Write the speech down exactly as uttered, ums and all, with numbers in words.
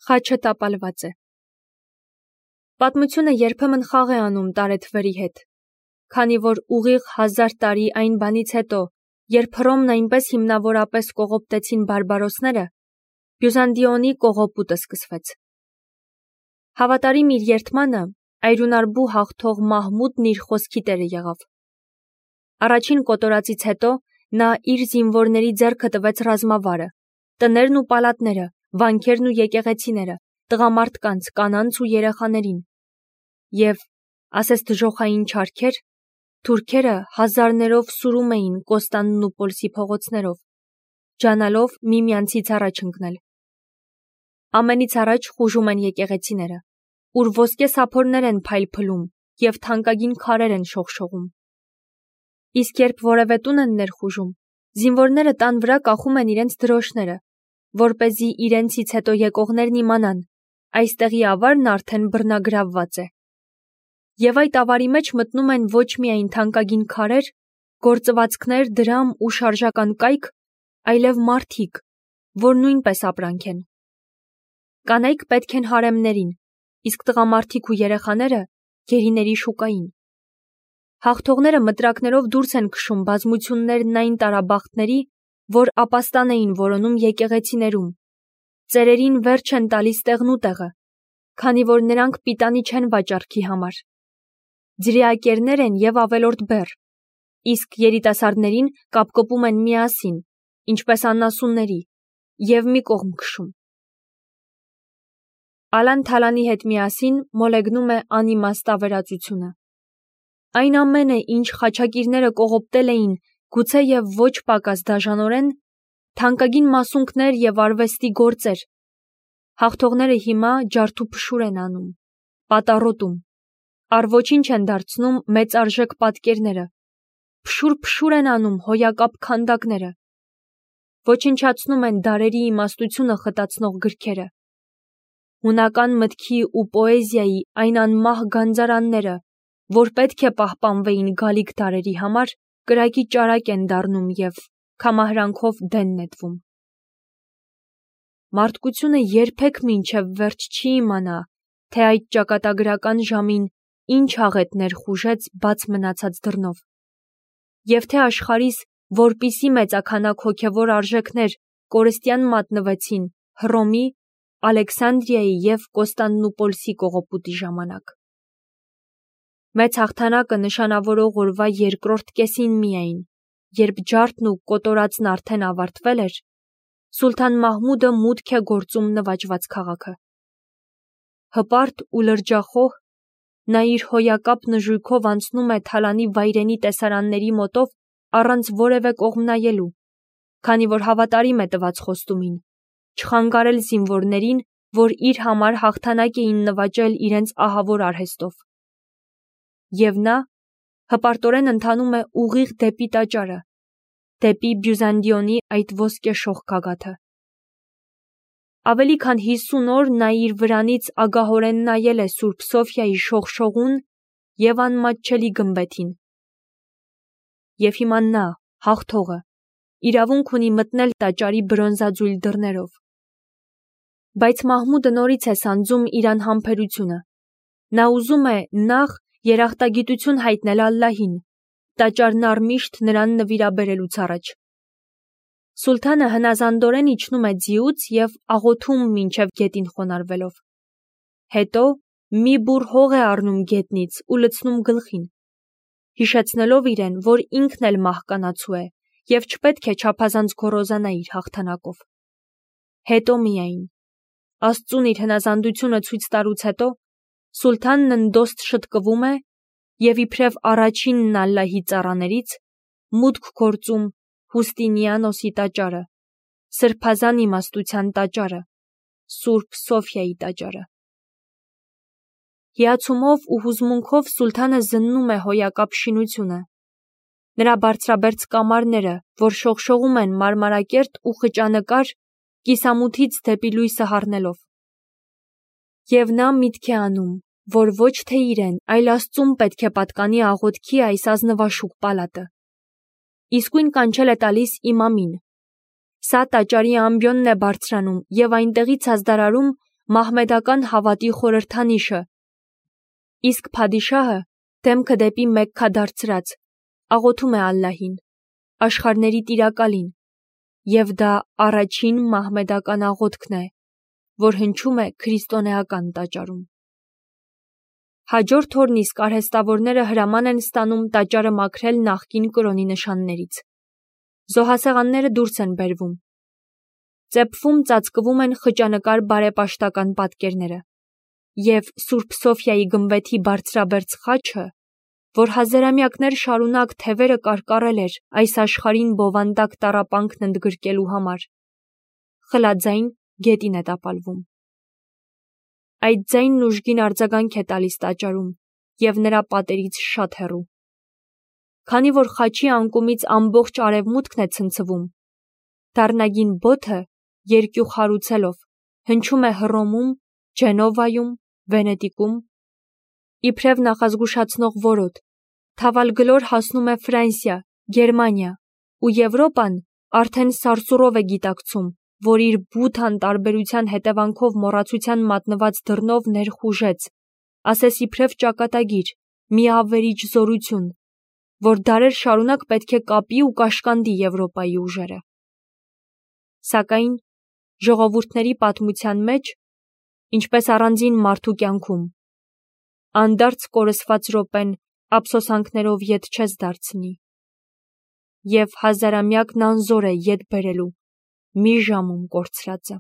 Խաչը տապալված է։ Պատմությունը երբեմն խաղ է անում տարեթվերի հետ, քանի որ ուղիղ հազար տարի այն բանից հետո, երբ Հռոմն այնպես հիմնավորապես կողոպտեցին բարբարոսները, Բյուզանդիոնի կողոպուտը սկսվեց։ Հավատարիմ իր երդմանը, այրունարբու հաղթող Մահմուդն իր խոսքի տերը եղավ։ Առաջին կոտորածից հետո նա իր զինվորների ձեռքը տվեց ռազմավարը, տներն ու պալատները, վանքերն ու եկեղեցիները, տղամարդկանց, կանանց ու երեխաներին։ Եվ, ասես դժոխային չարքեր, թուրքերը հազարներով սուրում էին Կոստանդնուպոլսի փողոցներով, ջանալով միմյանցից առաջ ընկնել։ Ամենից առաջ խուժում են եկեղեցիները, ուր ոսկե սափորներ են փայլփլում և թանկագին քարեր են շողշողում։ Իսկ երբ որևէ տուն են ներխուժում, զինվորները տան վրա կախում են իրենց դրոշները, որպեսզի իրենցից հետո եկողներն իմանան, այստեղի ավարն արդեն բռնագրավված է։ Եվ այդ ավարի մեջ մտնում են ոչ միայն թանկագին քարեր, գործվածքներ, դրամ ու շարժական կայք, այլև մարդիկ, որ նույնպես ապրանք են։ Կանայք պետք են հարեմներին, իսկ տղամարդիկ ու երեխաները գերիների շուկային։ Հաղթողները մտրակներով դուրս են քշում բազմություններն այն տարաբախտների, որ ապաստան էին որոնում եկեղեցիներում, ծերերին վերջ են տալիս տեղնուտեղը, քանի որ նրանք պիտանի չեն վաճառքի համար։ Ձրիակերներ են և ավելորդ բեռ, իսկ երիտասարդներին կապկպում են միասին, ինչպես անասունների, և մի կողմ քշում։ Ալան Թալանի հետ միասին մոլեգնում է անիմաստ ավերածությունը։ Այն ամենը, ինչ խաչակիրները կողոպտել էին, գուցե և ոչ պակաս դաժանորեն, թանկագին մասունքներ և արվեստի գործեր, հաղթողները հիմա ջարդուփշուր են անում, պատառոտում, առ ոչինչ են դարձնում մեծարժեք պատկերները, փշուր-փշուր են անում հոյակապ քանդակները, ոչնչացնում են դարերի իմաստությունը խտացնող գրքերը, հունական մտքի ու պոեզիայի այն անմահ գանձարանները, որ պետք է պահպանվեին գալիք դարերի համար, կրակի ճարակ են դառնում և քամահրանքով դեն նետվում։ Մարդկությունը երբեք մինչև վերջ չի իմանա, թե այդ ճակատագրական ժամին ինչ աղետներ խուժեց բաց մնացած դռնով, և թե աշխարհիս որպիսի մեծաքանակ հոգևոր արժեքներ կորստյան մատնվեցին Հռոմի, Ալեքսանդրիայի և Կոստանդնուպոլսի կողոպուտի ժամանակ։ Մեծ հաղթանակը նշանավորող օրվա երկրորդ կեսին միայն, երբ ջարդն ու կոտորածն արդեն ավարտվել էր, Սուլթան Մահմուդը մուտք է գործում նվաճված քաղաքը։ Հպարտ ու լրջախոհ, նա իր հոյակապ նժույգով անցնում է Թալանի վայրենի տեսարանների մոտով առանց որևէ կողմ նայելու, քանի որ հավատարիմ է տված խոստումին, չխանգարել զինվորներին, որ իր համար հաղթանակ էին նվաճել իրենց ահավոր արհեստով։ Եվ նա հպարտորեն ընթանում է ուղիղ դեպի տաճարը, դեպի Բյուզանդիոնի այդ ոսկեշող գագաթը։ Ավելի քան հիսուն օր նա իր վրանից ագահորեն նայել է Սուրբ Սոֆիայի շողշողուն և անմատչելի գմբեթին։ Եվ հիմա նա, հաղթողը, իրավունք ունի մտնել տաճարի բրոնզաձույլ դռներով։ Բայց Մահմուդը նորից է սանձում իր անհամբերությունը։ Նա ուզում է նախ երախտագիտություն հայտնել Ալլահին, տաճարն առմիշտ նրան նվիրաբերելուց առաջ։ Սուլթանը հնազանդորեն իջնում է ձիուց և աղոթում մինչև գետին խոնարհվելով։ Հետո մի բուռ հող է առնում գետնից ու լցնում գլխին, հիշեցնելով իրեն, որ ինքն էլ մահկանացու է և չպետք է չափազանց գոռոզանա իր հաղթանակով։ Հետո միայն, Աստծուն իր հնազանդությունը ցույց տալուց հետո, Սուլթանն ընդոստ շտկվում է և իբրև առաջինն Ալլահի ծառաներից մուտք գործում Հուստինիանոսի տաճարը, սրբազան իմաստության տաճարը, Սուրբ Սոֆիայի տաճարը։ Հիացումով ու հուզմունքով Սուլթանը զննում է հոյակապ շինությունը, նրա բարձրաբերձ կամարները, որ շողշողում են մարմարակերտ ու խճանկար, կիսամութից դեպի լույսը հառնելով։ Եվ նա միտք է անում, որ ոչ թե իրեն, այլ Աստծուն պետք է պատկանի աղոթքի այս ազնվաշուք պալատը։ Իսկույն կանչել է տալիս իմամին։ Սա տաճարի ամբիոնն է բարձրանում և այնտեղից ազդարարում, մահմեդական հավատի խորհրդանիշը, իսկ փադիշահը դեմքը դեպի Մեքքա դարձրած աղոթում է Ալլահին, աշխարհների տիրակալին, եւ դա առաջին մահմեդական աղոթքն է, որ հնչում է քրիստոնեական տաճարում։ Հաջորդ օրն իսկ արհեստավորները հրաման են ստանում տաճարը մաքրել նախկին կրոնի նշաններից։ Զոհասեղանները դուրս են բերվում։ Ծեփվում ծածկվում են խճանկար բարեպաշտական պատկերները, եւ Սուրբ Սոֆիայի գմբեթի բարձրաբերձ խաչը, որ հազարամյակներ շարունակ թևերը կարկառել էր այս աշխարհին բովանդակ տառապանքն ընդգրկելու համար, խլաձայն գետին է տապալվում։ Այդ ձայնն ուժգին արձագանք է տալիս տաճարում եւ նրա պատերից շատ հեռու։ Քանի որ խաչի անկումից ամբողջ արևմուտքն է ցնցվում, դառնագին բոթը երկյուղ հարուցելով հնչում է Հռոմում, Ջենովայում, Վենետիկում, իբրև նախազգուշացնող որոտ, թավալգլոր հասնում է Ֆրանսիա, Գերմանիա, ու Եվրոպան արդեն սարսուռով է գիտակցում, որ իր բութ անտարբերության հետևանքով մոռացության մատնված դռնով ներխուժեց, ասես իբրև ճակատագիր, մի ավերիչ զորություն, որ դարեր շարունակ պետք է կապի ու կաշկանդի Եվրոպայի ուժերը։ Սակայն ժողովուրդների պատմության մեջ, ինչպես առանձին մարդու կյանքում, անդարձ կորսված րոպեն ափսոսանքներով ետ չես դարձնի, եւ հազարամյակն անզոր է ետ բերելու մի ժամում կորցրածը։